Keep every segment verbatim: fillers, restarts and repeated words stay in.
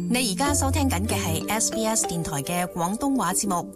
你而家收聽緊嘅係 S B S 電台嘅廣東話節目。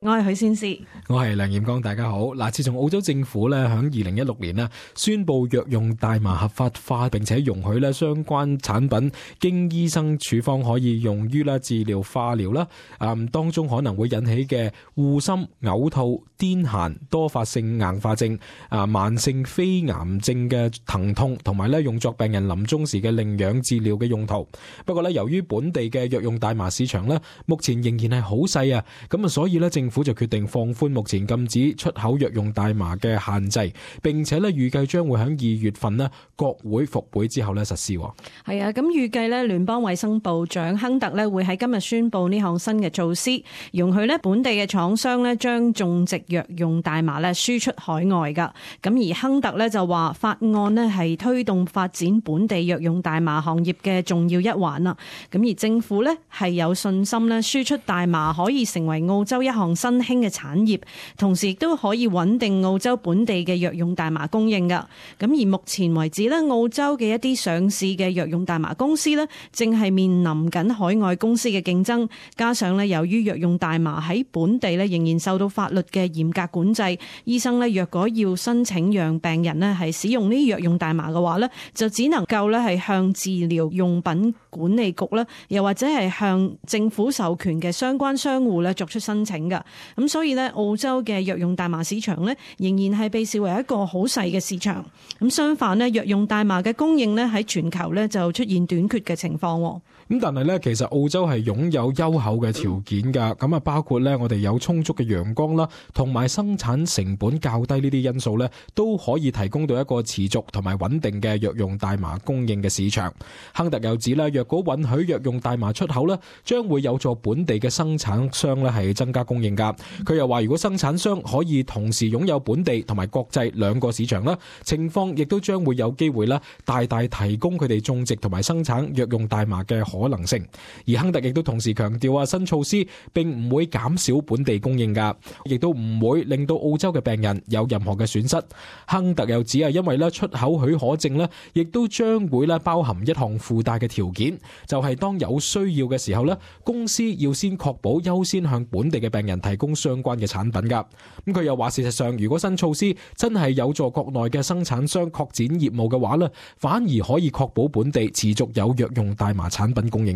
我係許先思，我係梁彥剛，大家好。嗱，自從澳洲政府咧響二零一六年咧宣布藥用大麻合法化，並且容許咧相關產品經醫生處方可以用於啦治療化療啦，嗯，當中可能會引起嘅護心、嘔吐、癲癇、多發性硬化症、啊慢性非癌症嘅疼痛，同埋咧用作病人臨終時嘅領養治療嘅用途。不過咧，由於本地嘅藥用大麻市場咧目前仍然係好細啊，咁啊，所以咧政府就決定放寬目前禁止出口藥用大麻嘅限制，並且咧預計將會喺二月份咧國會復會之後咧實施。係啊，咁預計咧聯邦衛生部長亨特咧會喺今日宣布呢項新嘅措施，容許咧本地嘅廠商咧將種植藥用大麻咧輸出海外噶。咁而亨特咧就話法案咧係推動發展本地藥用大麻行業嘅重要一環啦。咁而政府咧係有信心咧輸出大麻可以成為澳洲一項新興嘅產業，同時亦都可以穩定澳洲本地嘅藥用大麻供應噶。咁而目前為止咧，澳洲嘅一啲上市嘅藥用大麻公司咧，正係面臨緊海外公司嘅競爭，加上咧由於藥用大麻喺本地咧仍然受到法律嘅嚴格管制，醫生咧若果要申請讓病人咧係使用呢啲藥用大麻嘅話咧，就只能夠咧係向治療用品管理局啦，又或者係向政府授權嘅相關商戶咧作出申請噶。咁所以咧，澳洲嘅藥用大麻市場咧，仍然係被視為一個好細嘅市場。咁相反咧，藥用大麻嘅供應咧喺全球咧就出現短缺嘅情況。咁但係咧，其實澳洲係擁有優厚嘅條件㗎。咁啊，包括咧我哋有充足嘅陽光啦，同埋生產成本較低呢啲因素咧，都可以提供到一個持續同埋穩定嘅藥用大麻供應嘅市場。亨特又指咧，若果允許藥用大麻出口咧，將會有助本地嘅生產商咧係增加供應㗎。佢又話，如果生產商可以同時擁有本地同埋國際兩個市場啦，情況亦都將會有機會啦，大大提供佢哋種植同埋生產藥用大麻嘅可能性。而亨特亦都同時強調啊，新措施並唔會減少本地供應㗎，亦都唔會令到澳洲嘅病人有任何嘅損失。亨特又指啊，因為咧出口許可證咧，亦都將會咧包含一項附帶嘅條件，就係當有需要嘅時候咧，公司要先確保優先向本地嘅病人提供相關嘅產品㗎。咁佢又話，事實上如果新措施真係有助國內嘅生產商擴展業務嘅話咧，反而可以確保本地持續有藥用大麻產品供應。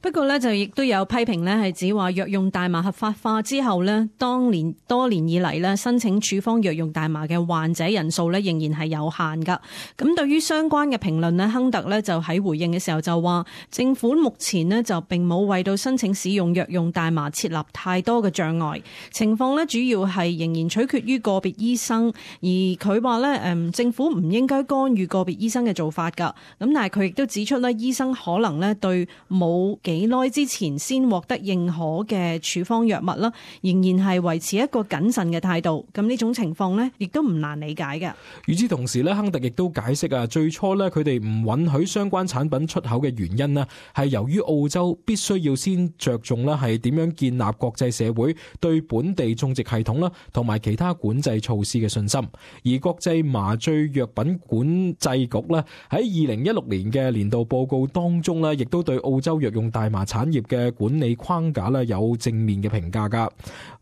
不過咧，就亦都有批評咧，係指話藥用大麻合法化之後咧，當年多年以嚟咧，申請處方藥用大麻嘅患者人數咧，仍然係有限噶。咁對於相關嘅評論咧，亨特咧就喺回應嘅時候就話，政府目前咧就並冇為到申請使用藥用大麻設立太多嘅障礙，情況咧主要係仍然取決於個別醫生。而佢話咧，誒政府唔應該干預個別醫生嘅做法噶。咁但係佢亦都指出咧，醫生可能咧對冇幾耐之前先獲得認可嘅處方藥物啦，仍然係維持一個謹慎嘅態度。咁呢種情況呢，亦都唔難理解嘅。與此同時咧，亨特亦都解釋啊，最初咧佢哋唔允許相關產品出口嘅原因呢，係由於澳洲必須要先着重啦，係點樣建立國際社會對本地種植系統啦，同埋其他管制措施嘅信心。而國際麻醉藥品管制局咧喺二零一六年嘅年度報告當中咧，亦都對澳洲藥用大麻產業嘅管理框架咧有正面嘅評價噶。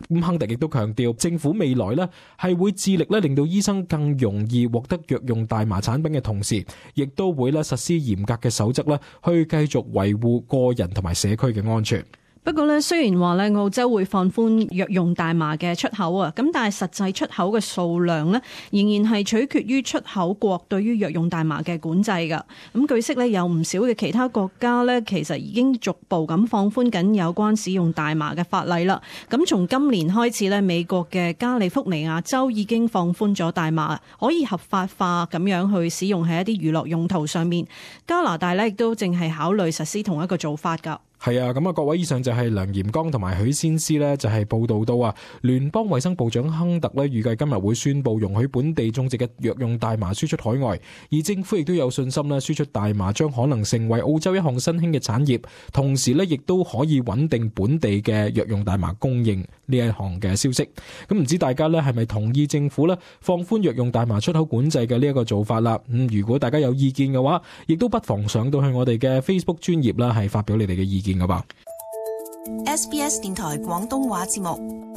咁亨特亦都強調，政府未來咧係會致力咧令到醫生更容易獲得藥用大麻產品嘅同時，亦都會咧實施嚴格嘅守則咧，去繼續維護個人同埋社區嘅安全。不過咧，雖然話咧澳洲會放寬藥用大麻嘅出口啊，咁但係實際出口嘅數量咧，仍然係取決於出口國對於藥用大麻嘅管制噶。咁據悉咧，有唔少嘅其他國家咧，其實已經逐步咁放寬緊有關使用大麻嘅法例啦。咁從今年開始咧，美國嘅加利福尼亞州已經放寬咗大麻可以合法化咁樣去使用喺一啲娛樂用途上面。加拿大咧亦都正係考慮實施同一個做法噶。係啊，咁啊，各位，以上就係梁炎剛同埋許先思呢，就係報道到啊，聯邦衛生部長亨特呢，預計今日會宣布容許本地種植嘅藥用大麻輸出海外，而政府亦都有信心呢，輸出大麻將可能成為澳洲一項新興嘅產業，同時呢，亦都可以穩定本地嘅藥用大麻供應呢一項嘅消息。咁唔知大家呢係咪同意政府呢放寬藥用大麻出口管制嘅呢一個做法啦？咁、嗯、如果大家有意見嘅話，亦都不妨上到去我哋嘅 Facebook 專頁啦，係發表你哋嘅意見噶吧。S B S 電台廣東話節目。